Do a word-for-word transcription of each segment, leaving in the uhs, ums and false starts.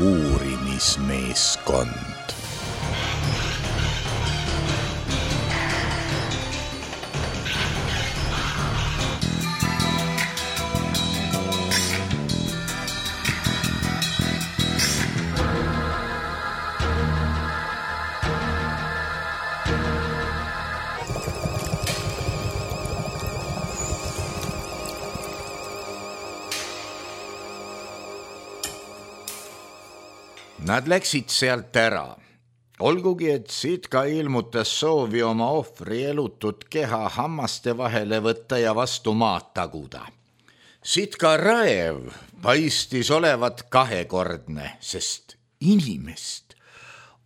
uurimismeeskond. Nad läksid sealt ära. Olgugi, et Sitka ilmutas soovi oma ohvri elutud keha hammaste vahele võtta ja vastu maad taguda. Sitka raev paistis olevat kahekordne, sest inimest,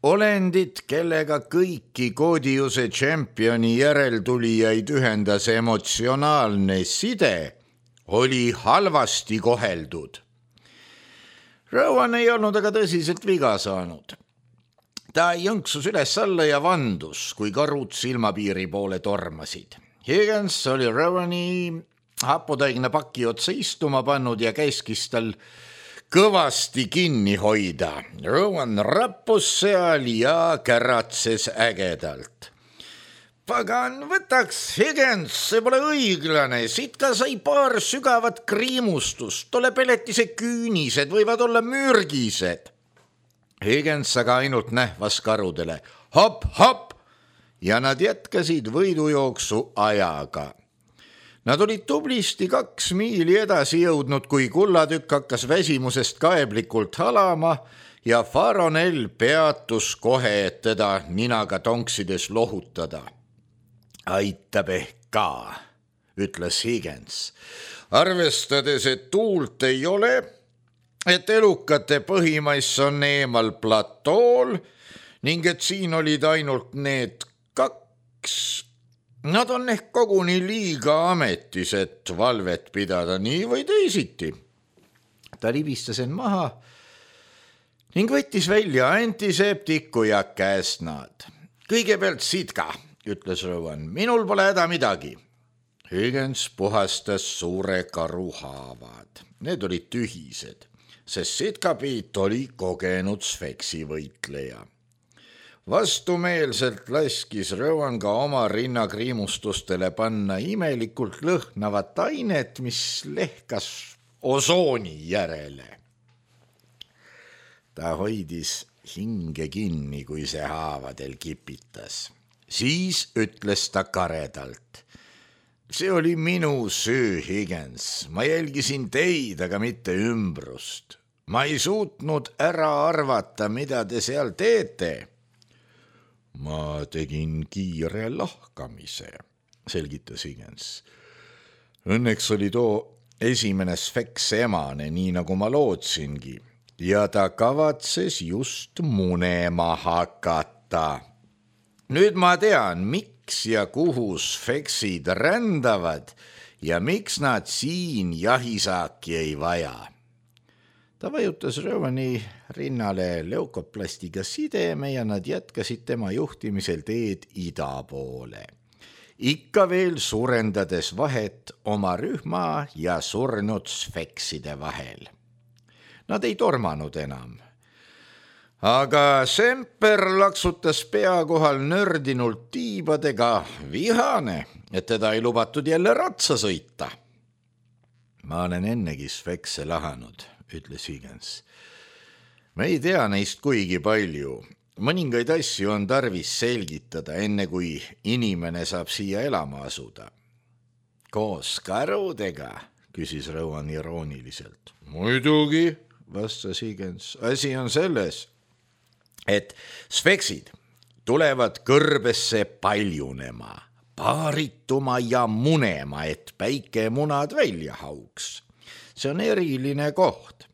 olendit, kellega kõiki Koodiuse tšempioni järeltulijaid ühendas emotsionaalne side, oli halvasti koheldud. Rowan ei olnud aga tõsiselt viga saanud. Ta jõnksus üles alla ja vandus, kui karud silmapiiri poole tormasid. Higgins oli Rowani haputaigne paki otsa istuma pannud ja käskis tal kõvasti kinni hoida. Rowan rappus seal ja käratses ägedalt. Pagan, võtaks, Higgins, see pole õiglane. Sitka sai paar sügavat kriimustust. Tolle peletise küünised võivad olla mürgised. Higgins aga ainult nähvas karudele. Hop, hop! Ja nad jätkasid võidujooksu ajaga. Nad olid tublisti kaks miili edasi jõudnud, kui kullatükk hakkas väsimusest kaeblikult halama ja Faronel peatus kohe, et teda ninaga tonksides lohutada. Aitab ehk ka, ütles Higgins. Arvestades, et tuult ei ole, et elukate põhimaiss on eemal platool ning et siin olid ainult need kaks. Nad on ehk koguni liiga ametis, et valvet pidada nii või teisiti. Ta libistas end maha ning võttis välja antiseptiku ja käsnad. Kõigepealt Sitka, ütles Rowan, minul pole häda midagi. Higgins puhastas suure karu haavad. Need olid tühised, sest Sitkapiit oli kogenud Sfeksi võitleja. Vastumeelselt laskis Rowan ka oma rinnakriimustustele panna imelikult lõhnavat ainet, mis lehkas osooni järele. Ta hoidis hinge kinni, kui see haavadel kipitas. Siis ütles ta karedalt. See oli minu süü, Higgins. Ma jälgisin teid, aga mitte ümbrust. Ma ei suutnud ära arvata, mida te seal teete. Ma tegin kiire lahkamise, selgitas Higgins. Õnneks oli too esimene Sfeks emane, nii nagu ma lootsingi, ja ta kavatses just munema hakata. Nüüd ma tean, miks ja kuhu Sfeksid rändavad ja miks nad siin jahisaaki ei vaja. Ta vajutas Rowani rinnale leukoplastiga sideme ja nad jätkasid tema juhtimisel teed ida poole. Ikka veel suurendades vahet oma rühma ja surnud Sfekside vahel. Nad ei tormanud enam. Aga Semper laksutas pea kohal nördinult tiibadega, vihane, et teda ei lubatud jälle ratsa sõita. Ma olen ennegi Sfekse lahanud, ütles Higgins. Me ei tea neist kuigi palju. Mõningaid asju on tarvis selgitada, enne kui inimene saab siia elama asuda. Koos karudega, küsis Rowan irooniliselt. Muidugi, vastas Higgins. Asi on selles, et Sfeksid tulevad kõrbesse paljunema, paarituma ja munema, et päike munad välja hauks. See on eriline koht.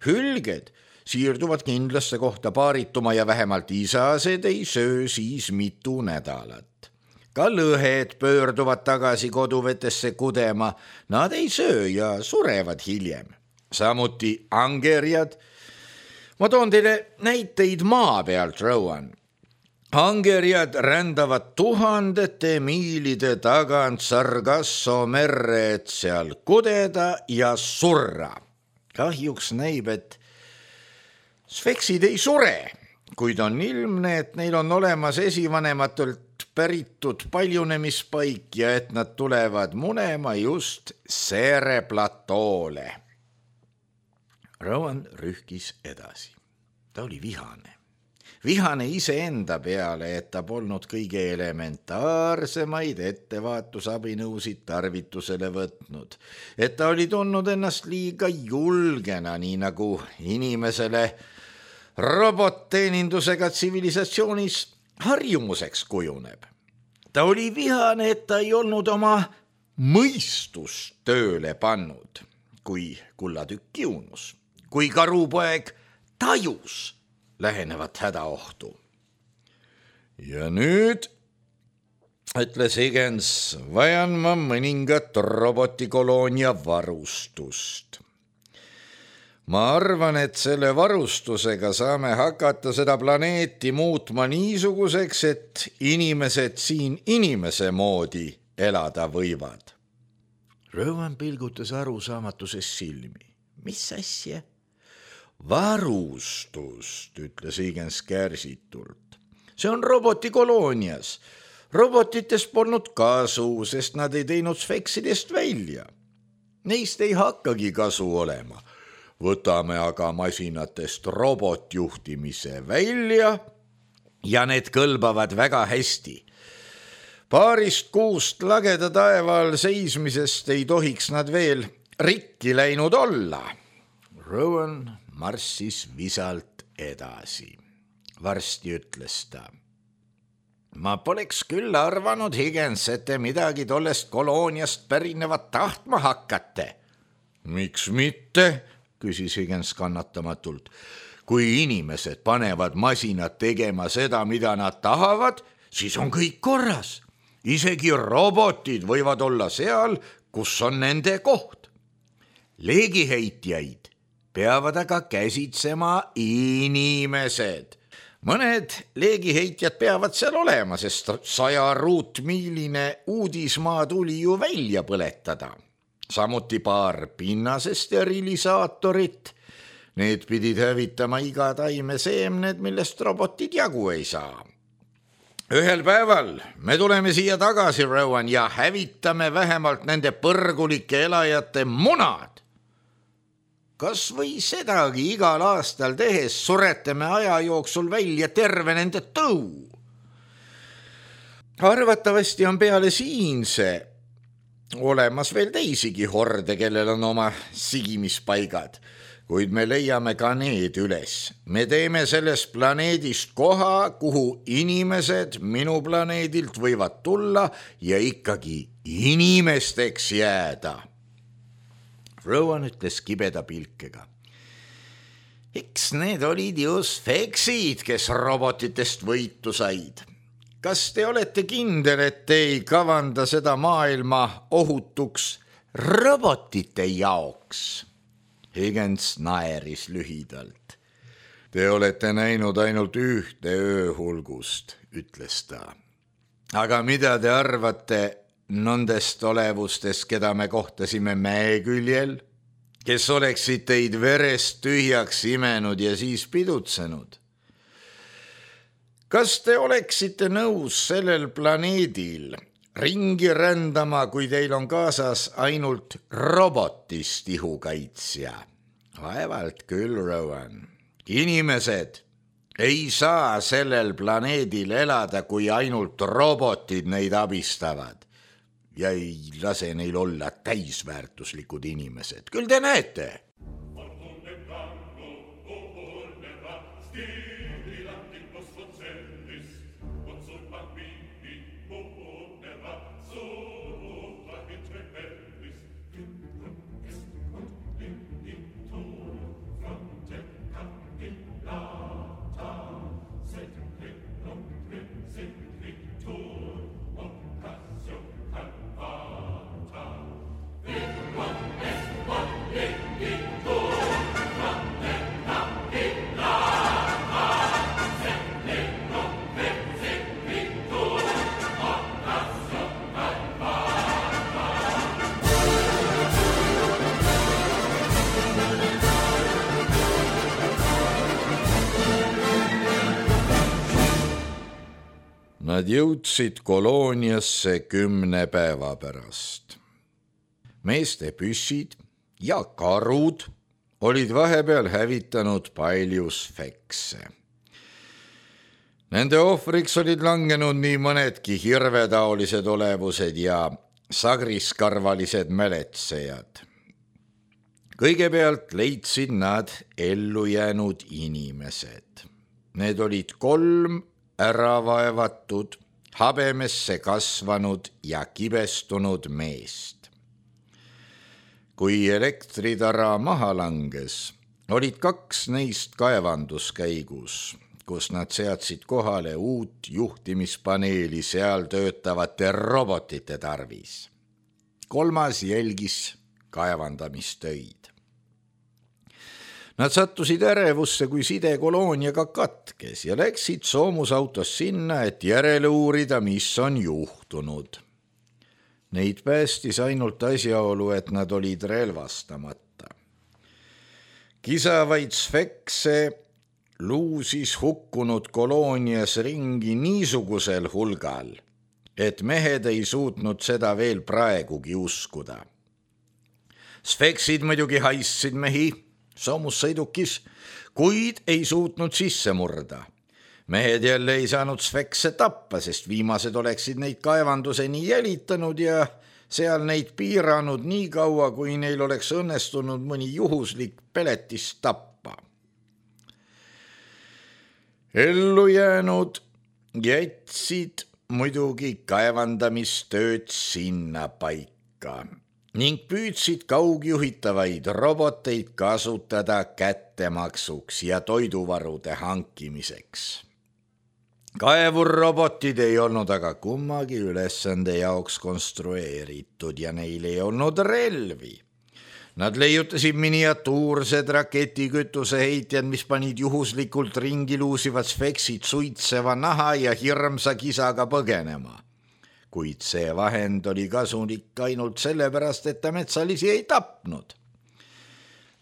Hülged siirduvad kindlasse kohta paarituma ja vähemalt isased ei söö siis mitu nädalat. Ka lõhed pöörduvad tagasi koduvetesse kudema, nad ei söö ja surevad hiljem. Samuti angerjad. Ma toon teile näiteid maa pealt, Rowan. Angerjad rändavad tuhandete miilide tagant Sargasso merre, et seal kudeda ja surra. Kahjuks näib, et Sfeksid ei sure, kuid on ilmne, et neil on olemas esivanematelt päritud paljunemispaik ja et nad tulevad munema just Seere platoole. Rowan rühkis edasi. Ta oli vihane. Vihane iseenda peale, et ta polnud kõige elementaarsemaid ettevaatusabinõusid tarvitusele võtnud. Et ta oli tundnud ennast liiga julgena, nii nagu inimesele robotteenindusega tsivilisatsioonis harjumuseks kujuneb. Ta oli vihane, et ta ei olnud oma mõistust tööle pannud, kui kullatükk kiunus, kui karupoeg tajus lähenevat hädaohtu. Ja nüüd, ütles Higgins, vajan ma mõningat robotikoloonia varustust. Ma arvan, et selle varustusega saame hakata seda planeeti muutma niisuguseks, et inimesed siin inimese moodi elada võivad. Rowan pilgutas arusaamatuses silmi. Mis asja? Varustust, ütles Higgins kärsitult. See on robotikoloonias. Robotitest polnud kasu, sest nad ei teinud sfeksidest välja. Neist ei hakkagi kasu olema. Võtame aga masinatest robotjuhtimise välja ja need kõlbavad väga hästi. Paarist kuust lageda taeval seismisest ei tohiks nad veel rikki läinud olla. Rowan marssis visalt edasi. Varsti ütles ta. Ma poleks küll arvanud, Higgins, et te midagi tollest kolooniast pärinevat tahtma hakkate. Miks mitte? Küsis Higgins kannatamatult. Kui inimesed panevad masinad tegema seda, mida nad tahavad, siis on kõik korras. Isegi robotid võivad olla seal, kus on nende koht. Leegiheitjaid peavad aga käsitsema inimesed. Mõned leegiheitjad peavad seal olema, sest saja ruutmiiline uudismaa tuli ju välja põletada. Samuti paar pinnase sterilisaatorit. Need pidid hävitama iga taime seemned, millest robotid jagu ei saa. Ühel päeval me tuleme siia tagasi, Rowan, ja hävitame vähemalt nende põrgulike elajate munad. Kas või sedagi igal aastal tehes suretame aja jooksul välja terve nende tõu. Arvatavasti on peale siinse olemas veel teisigi horde, kellel on oma sigimispaigad, kuid me leiame ka need üles. Me teeme sellest planeedist koha, kuhu inimesed minu planeedilt võivad tulla ja ikkagi inimesteks jääda. Rowan ütles kibeda pilkega. Eks need olid ju sfeksid, kes robotitest võitu said. Kas te olete kindel, et te ei kavanda seda maailma ohutuks robotite jaoks? Higgins naeris lühidalt. Te olete näinud ainult ühte ööhulgust, ütles ta. Aga mida te arvate nendest olevustest, keda me kohtasime mäeküljel, kes oleksid teid verest tühjaks imenud ja siis pidutsenud? Kas te oleksite nõus sellel planeedil ringi rändama, kui teil on kaasas ainult robotist ihukaitsja? Vaevalt küll, Rowan. Inimesed ei saa sellel planeedil elada, kui ainult robotid neid abistavad ja ei lase neil olla täisväärtuslikud inimesed. Küll te näete. Vic, Nad jõudsid kolooniasse kümne päeva pärast. Meeste püssid ja karud olid vahepeal hävitanud palju sfekse. Nende ohvriks olid langenud nii mõnedki hirvetaolised olevused ja sagriskarvalised mäletsejad. Kõigepealt leidsid nad ellu jäänud inimesed. Need olid kolm äravaevatud, habemesse kasvanud ja kibestunud meest. Kui elektritara maha langes, olid kaks neist kaevanduskäigus, kus nad seadsid kohale uut juhtimispaneeli seal töötavate robotite tarvis. Kolmas jälgis kaevandamistöid. Nad sattusid ärevusse, kui side kolooniaga katkes ja läksid soomusautos sinna, et järele uurida, mis on juhtunud. Neid päästis ainult asjaolu, et nad olid relvastamata. Kisavaid sfekse luusis hukkunud koloonias ringi niisugusel hulgal, et mehed ei suutnud seda veel praegugi uskuda. Sfeksid muidugi haissid mehi soomussõidukis, kuid ei suutnud sisse murda. Mehed jälle ei saanud sfekse tappa, sest viimased oleksid neid kaevanduseni jälitanud ja seal neid piiranud nii kaua, kui neil oleks õnnestunud mõni juhuslik peletis tappa. Ellu jäänud jätsid muidugi kaevandamistööd sinna paika ning püüdsid kaugjuhitavaid roboteid kasutada kättemaksuks ja toiduvarude hankimiseks. Kaevurrobotid ei olnud aga kummagi ülesande jaoks konstrueeritud ja neil ei olnud relvi. Nad leiutasid miniatuursed raketikütuse heitjad, mis panid juhuslikult ringi luusivad sfeksid suitseva naha ja hirmsa kisaga põgenema. Kuid see vahend oli kasulik ainult sellepärast, et ta metsalisi ei tapnud.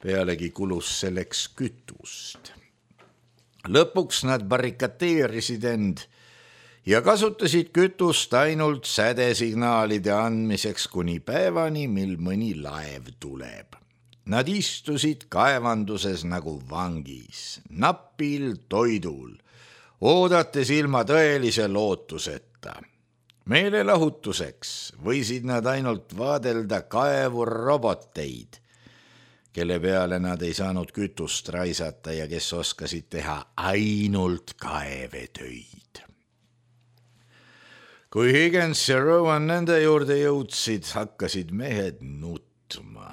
Pealegi kulus selleks kütust. Lõpuks nad barrikateerisid end ja kasutasid kütust ainult sädesignaalide andmiseks kuni päevani, mil mõni laev tuleb. Nad istusid kaevanduses nagu vangis, napil toidul, oodates ilma tõelise lootuseta. Meelelahutuseks võisid nad ainult vaadelda kaevurroboteid, kelle peale nad ei saanud kütust raisata ja kes oskasid teha ainult kaevetöid. Kui Higgins ja Rowan nende juurde jõudsid, hakkasid mehed nutma.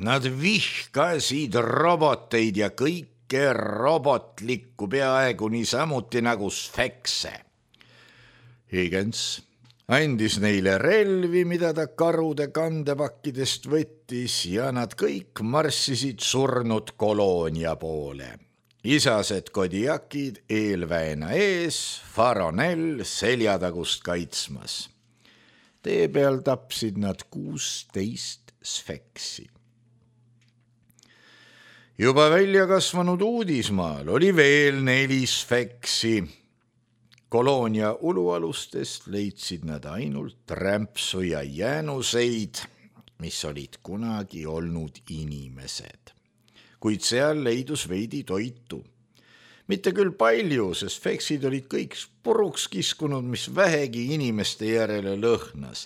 Nad vihkasid roboteid ja kõike robotlikku peaaegu niisamuti nagu sfekse. Higgins andis neile relvi, mida ta karude kandepakkidest võttis ja nad kõik marssisid surnud koloonia poole. Isased kodiakid eelväena ees, Faronell seljatagust kaitsmas. Tee peal tapsid nad kuusteist sfeksi. Juba välja kasvanud uudismaal oli veel neli sfeksi. Koloonia ulualustest leidsid nad ainult rämpsu ja jäänuseid, mis olid kunagi olnud inimesed. Kuid seal leidus veidi toitu. Mitte küll palju, sest sfeksid olid kõik puruks kiskunud, mis vähegi inimeste järele lõhnas.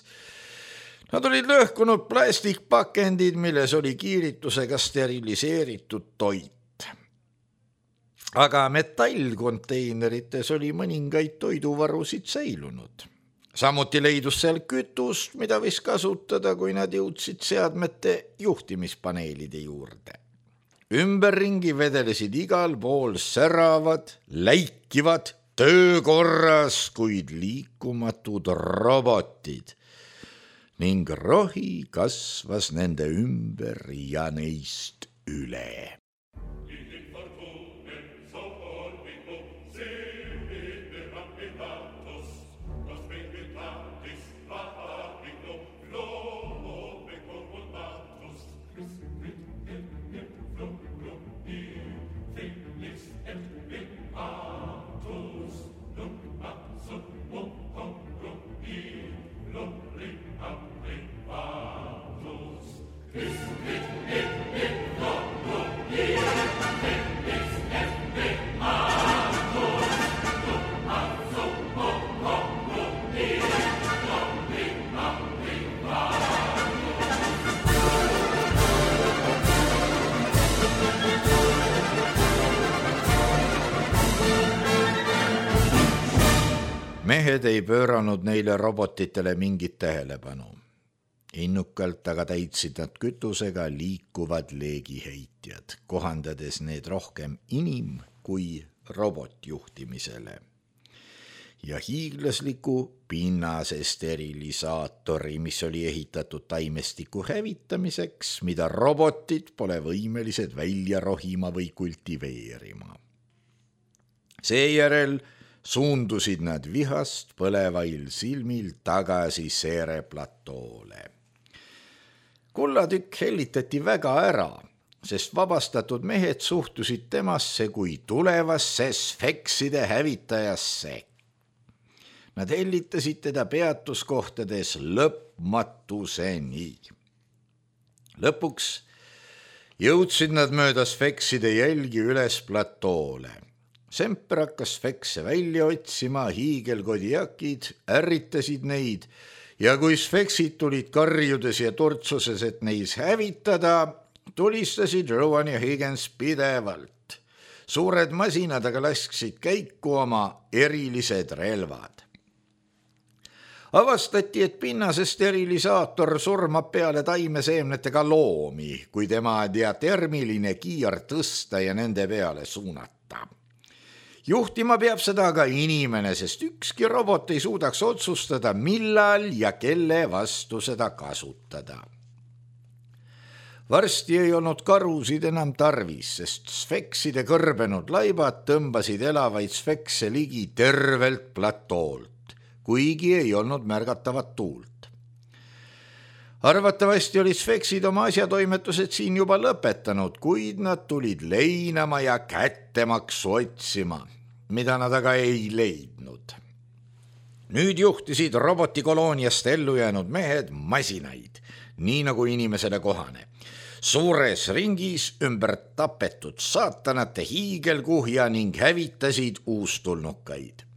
Nad olid lõhkunud plastikpakendid, milles oli kiiritusega steriliseeritud toit. Aga metallkonteinerites oli mõningaid toiduvarusid säilunud. Samuti leidus seal kütust, mida võis kasutada, kui nad jõudsid seadmete juhtimispaneelide juurde. Ümberringi vedelesid igal pool säravad, läikivad, töökorras, kuid liikumatud robotid ning rohi kasvas nende ümber ja neist üle. Felix et Beatus, nunc absut mehed ei pööranud neile robotitele mingit tähelepanu. Innukalt aga täitsid nad kütusega liikuvad leegiheitjad, kohandades need rohkem inim- kui robotjuhtimisele. Ja hiiglasliku pinnase sterilisaatori, mis oli ehitatud taimestiku hävitamiseks, mida robotid pole võimelised välja rohima või kultiveerima. Seejärel suundusid nad vihast põlevail silmil tagasi Seere platoole. Kullatükk hellitati väga ära, sest vabastatud mehed suhtusid temasse kui tulevasse sfekside hävitajasse. Nad hellitasid teda peatuskohtades lõpmatuseni. Lõpuks jõudsid nad mööda sfekside jälgi üles platoole. Semper hakkas sfekse välja otsima, hiigelkodiakid ärritasid neid ja kui sfeksid tulid karjudes ja turtsuses, et neis hävitada, tulistasid Rowan ja Higgins pidevalt. Suured masinad aga lasksid käiku oma erilised relvad. Avastati, et pinnase sterilisaator surmab peale taimeseemnetega loomi, kui tema diatermiline kiir tõsta ja nende peale suunata. Juhtima peab seda aga inimene, sest ükski robot ei suudaks otsustada, millal ja kelle vastu seda kasutada. Varsti ei olnud karusid enam tarvis, sest sfekside kõrbenud laibad tõmbasid elavaid sfekse ligi tervelt platoolt, kuigi ei olnud märgatavat tuult. Arvatavasti olid sfeksid oma asjatoimetused siin juba lõpetanud, kuid nad tulid leinama ja kättemaksu otsima, mida nad aga ei leidnud. Nüüd juhtisid robotikolooniast ellu jäänud mehed masinaid, nii nagu inimesele kohane. Suures ringis ümber tapetud saatanate hiigelkuhja ning hävitasid uustulnukaid.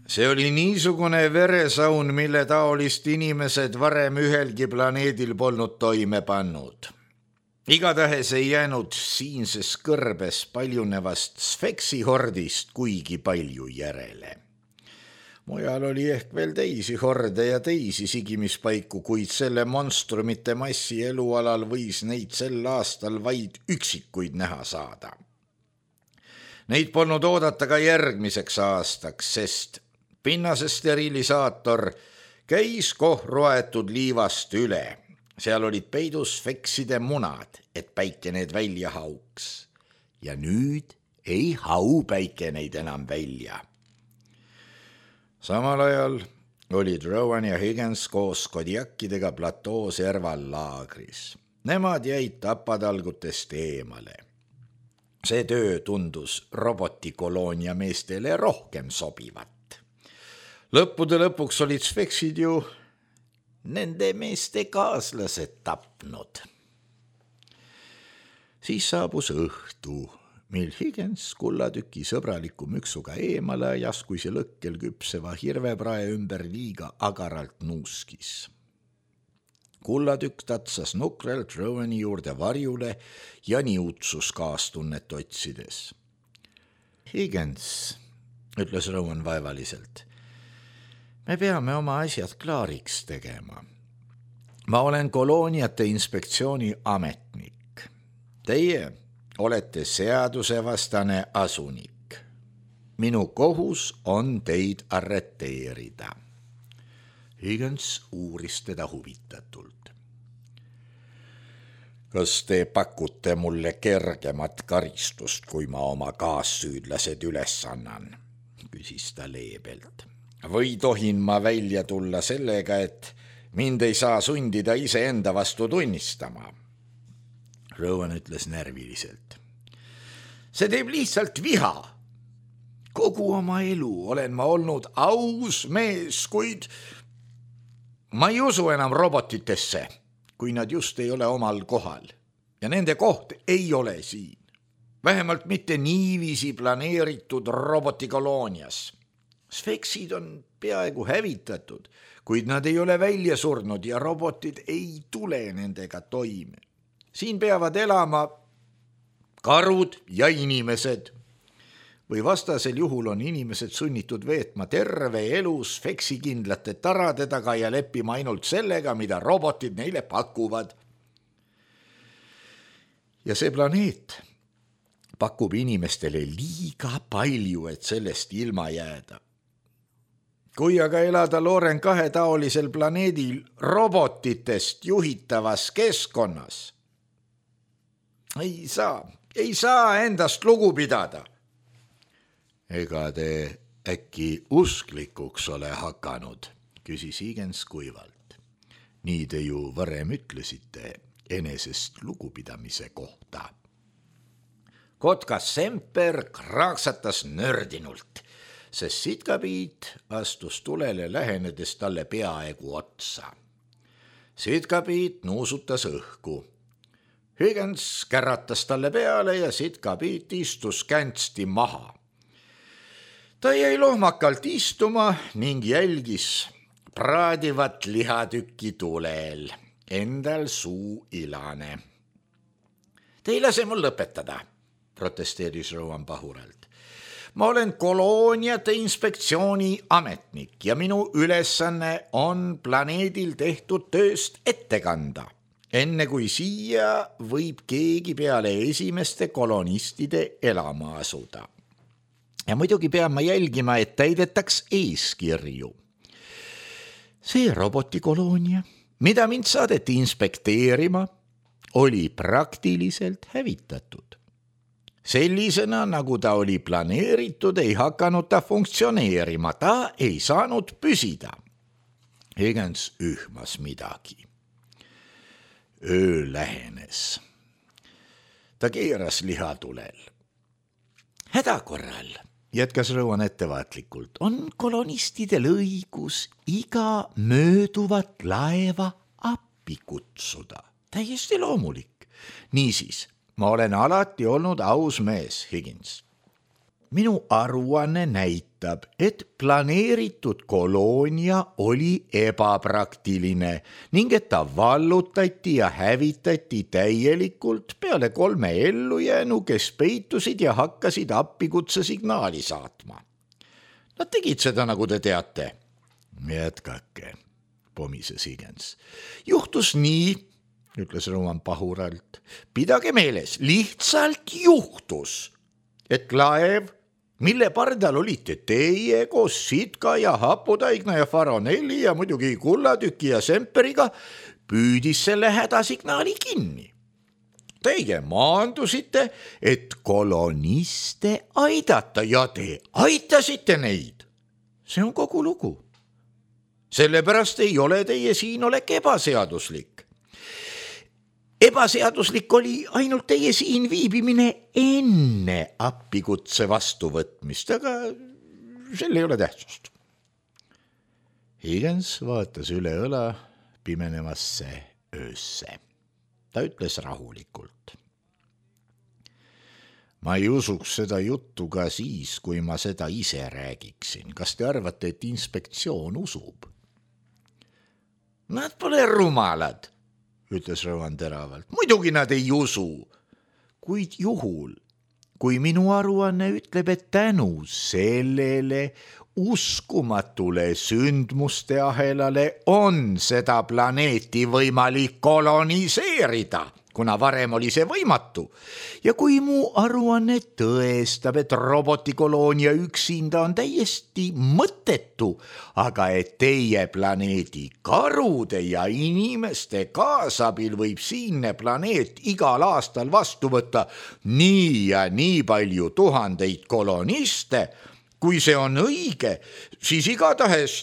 See oli niisugune veresaun, mille taolist inimesed varem ühelgi planeedil polnud toime pannud. Igatahes ei jäänud siinses kõrbes paljunevast sfeksihordist kuigi palju järele. Mujal oli ehk veel teisi horde ja teisi sigimispaiku, kuid selle monstrumite massi elualal võis neid sel aastal vaid üksikuid näha saada. Neid polnud oodata ka järgmiseks aastaks, sest pinnase sterilisaator käis kohruaetud liivast üle. Seal olid peidus sfekside munad, et päike need välja hauks. Ja nüüd ei hau päike neid enam välja. Samal ajal olid Rowan ja Higgins koos kodiakidega platoo serval laagris. Nemad jäid tapatalgutest eemale. See töö tundus robotikoloonia meestele rohkem sobivat. Lõppude lõpuks olid sfeksid ju nende meeste kaaslased tapnud. Siis saabus õhtu, mil Higgins kullatüki sõbraliku müksuga eemale ajas, kui see lõkkel küpseva hirveprae ümber liiga agaralt nuuskis. Kullatükk tatsas nukrelt Rowani juurde varjule ja niutsus kaastunnet otsides. Higgins, ütles Rowan vaevaliselt, me peame oma asjad klaariks tegema. Ma olen kolooniate inspektsiooni ametnik. Teie olete seadusevastane asunik. Minu kohus on teid arreteerida. Higgins uuris teda huvitatult. Kas te pakute mulle kergemat karistust, kui ma oma kaassüüdlased üles annan? Küsis ta leebelt. Või tohin ma välja tulla sellega, et mind ei saa sundida iseenda vastu tunnistama? Rowan ütles närviliselt. See teeb lihtsalt viha. Kogu oma elu olen ma olnud aus mees, kuid ma ei usu enam robotitesse, kui nad just ei ole omal kohal. Ja nende koht ei ole siin. Vähemalt mitte niiviisi planeeritud robotikoloonias. Sfeksid on peaaegu hävitatud, kuid nad ei ole välja surnud ja robotid ei tule nendega toime. Siin peavad elama karud ja inimesed. või vastasel juhul on inimesed sunnitud veetma terve elus feksikindlate tarade taga ja leppima ainult sellega, mida robotid neile pakuvad. Ja see planeet pakub inimestele liiga palju, et sellest ilma jääda. Kui aga elada Loren kahe taolisel planeedil robotitest juhitavas keskkonnas, ei saa, ei saa endast lugu pidada. Ega te äkki usklikuks ole hakanud, küsis Higgins kuivalt. Nii te ju varem ütlesite enesest lugupidamise kohta. Kotkas Semper kraaksatas nördinult, sest Sitkapiit astus tulele lähenedes talle peaaegu otsa. Sitkapiit nuusutas õhku. Higgins käratas talle peale ja Sitkapiit istus käntsti maha. Ta jäi lohmakalt istuma ning jälgis praadivat lihatükki tulel, endal suu ilane. Te ei lase mul lõpetada, protesteeris Rowan pahuralt. Ma olen kolooniate inspektsiooni ametnik ja minu ülesanne on planeedil tehtud tööst ette kanda, enne kui siia võib keegi peale esimeste kolonistide elama asuda. Ja muidugi pean ma jälgima, et täidetaks eeskirju. See robotikoloonia, mida mind saadeti inspekteerima, oli praktiliselt hävitatud. Sellisena, nagu ta oli planeeritud, ei hakanud ta funktsioneerima, ta ei saanud püsida. Higgins ühmas midagi. Öö lähenes. Ta keeras lihatulel. Häda korral, jätkas Rowan ettevaatlikult, on kolonistidel õigus iga mööduvat laeva appi kutsuda. Täiesti loomulik. Niisiis, ma olen alati olnud aus mees, Higgins. Minu aruanne näitab, et planeeritud koloonia oli ebapraktiline ning et ta vallutati ja hävitati täielikult peale kolme ellujäänu, kes peitusid ja hakkasid appikutse signaali saatma. Nad tegid seda, nagu te teate. Jätkake, pomises Higgins. Juhtus nii, ütles Rowan pahuralt. Pidage meeles, lihtsalt juhtus, et laev, mille pardal olite teie koos Sitka ja Hapudaigna ja Faronelli ja muidugi Kullatüki ja Semperiga, püüdis selle hädasignaali kinni. Teie maandusite, et koloniste aidata ja te aitasite neid. See on kogu lugu. Sellepärast ei ole teie siinolek ebaseaduslik. Ebaseaduslik oli ainult teie siin viibimine enne appikutse vastuvõtmist, aga sel ei ole tähtsust. Higgins vaatas üle õla pimenemasse öösse. Ta ütles rahulikult. Ma ei usuks seda juttu ka siis, kui ma seda ise räägiksin. Kas te arvate, et inspektsioon usub? Nad pole rumalad, ütles Rowan teravalt. Muidugi nad ei usu. Kuid juhul, kui minu aruanne ütleb, et tänu sellele uskumatule sündmuste ahelale on seda planeeti võimalik koloniseerida, kuna varem oli see võimatu. Ja kui mu aruanne tõestab, et robotikoloonia üksinda on täiesti mõttetu, aga et teie planeedi karude ja inimeste kaasabil võib siinne planeet igal aastal vastu võtta nii ja nii palju tuhandeid koloniste, kui see on õige, siis igatahes.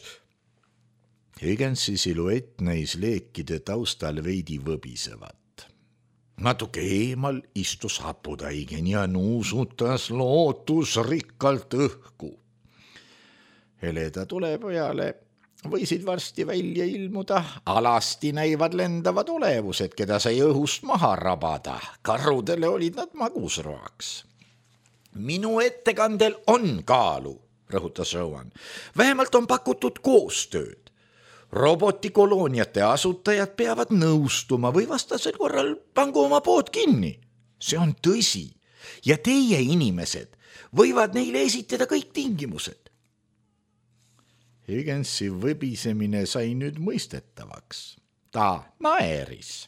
Higginsi siluett näis leekide taustal veidi võbisevat. Natuke eemal istus Hapudaigen ja nuusutas lootusrikkalt õhku. Heleda tulepojale võisid varsti välja ilmuda alasti näivad lendavad olevused, keda sai õhust maha rabada. Karudele olid nad magusroaks. Minu ettekandel on kaalu, rõhutas Rowan. Vähemalt on pakutud koostööd. Robotikolooniate asutajad peavad nõustuma või vastasel korral pangu oma pood kinni. See on tõsi. ja teie inimesed võivad neile esitada kõik tingimused. Higginsi võbisemine sai nüüd mõistetavaks. Ta naeris.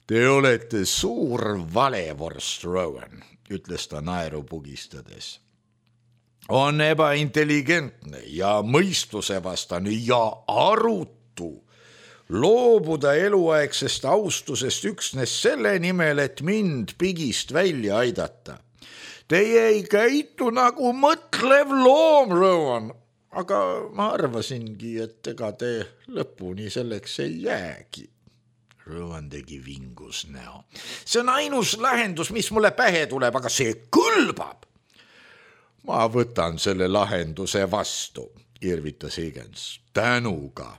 Te olete suur valevorst, Rowan, ütles ta naeru pugistades. On ebaintelligentne ja mõistusevastane ja arutu loobuda eluaegsest austusest üksnes selle nimel, et mind pigist välja aidata. Teie ei käitu nagu mõtlev loom, Rowan, aga ma arvasingi, et ega te lõpuni selleks ei jäägi. Rowan tegi vingus näo. See on ainus lahendus, mis mulle pähe tuleb, aga see kõlbab. Ma võtan selle lahenduse vastu, irvitas Higgins. Tänuga.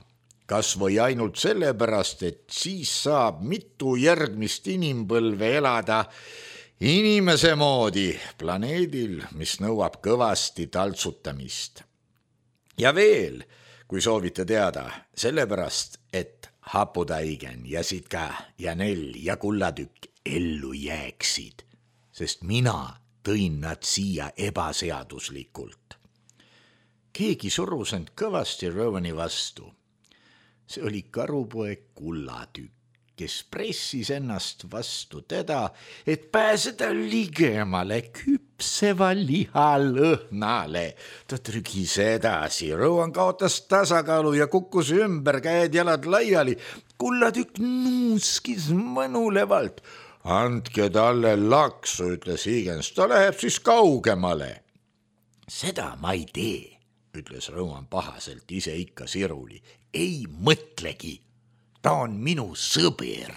Kas või ainult sellepärast, et siis saab mitu järgmist inimpõlve elada inimese moodi planeedil, mis nõuab kõvasti taltsutamist. Ja veel, kui soovite teada, sellepärast, et haputaigen ja sitka ja nell ja kullatükk ellu jääksid, sest mina tõin nad siia ebaseaduslikult. Keegi surus end kõvasti Rowani vastu. See oli karupoeg Kullatükk, kes pressis ennast vastu teda, et pääseda ligemale küpseva liha lõhnale. Ta trügis edasi, Rowan kaotas tasakaalu ja kukkus ümber, käed jalad laiali. Kullatükk nuuskis mõnulevalt. Andke talle laksu, ütles Higgins, ta läheb siis kaugemale. Seda ma ei tee, ütles Rowan pahaselt, ise ikka siruli. Ei mõtlegi, ta on minu sõber.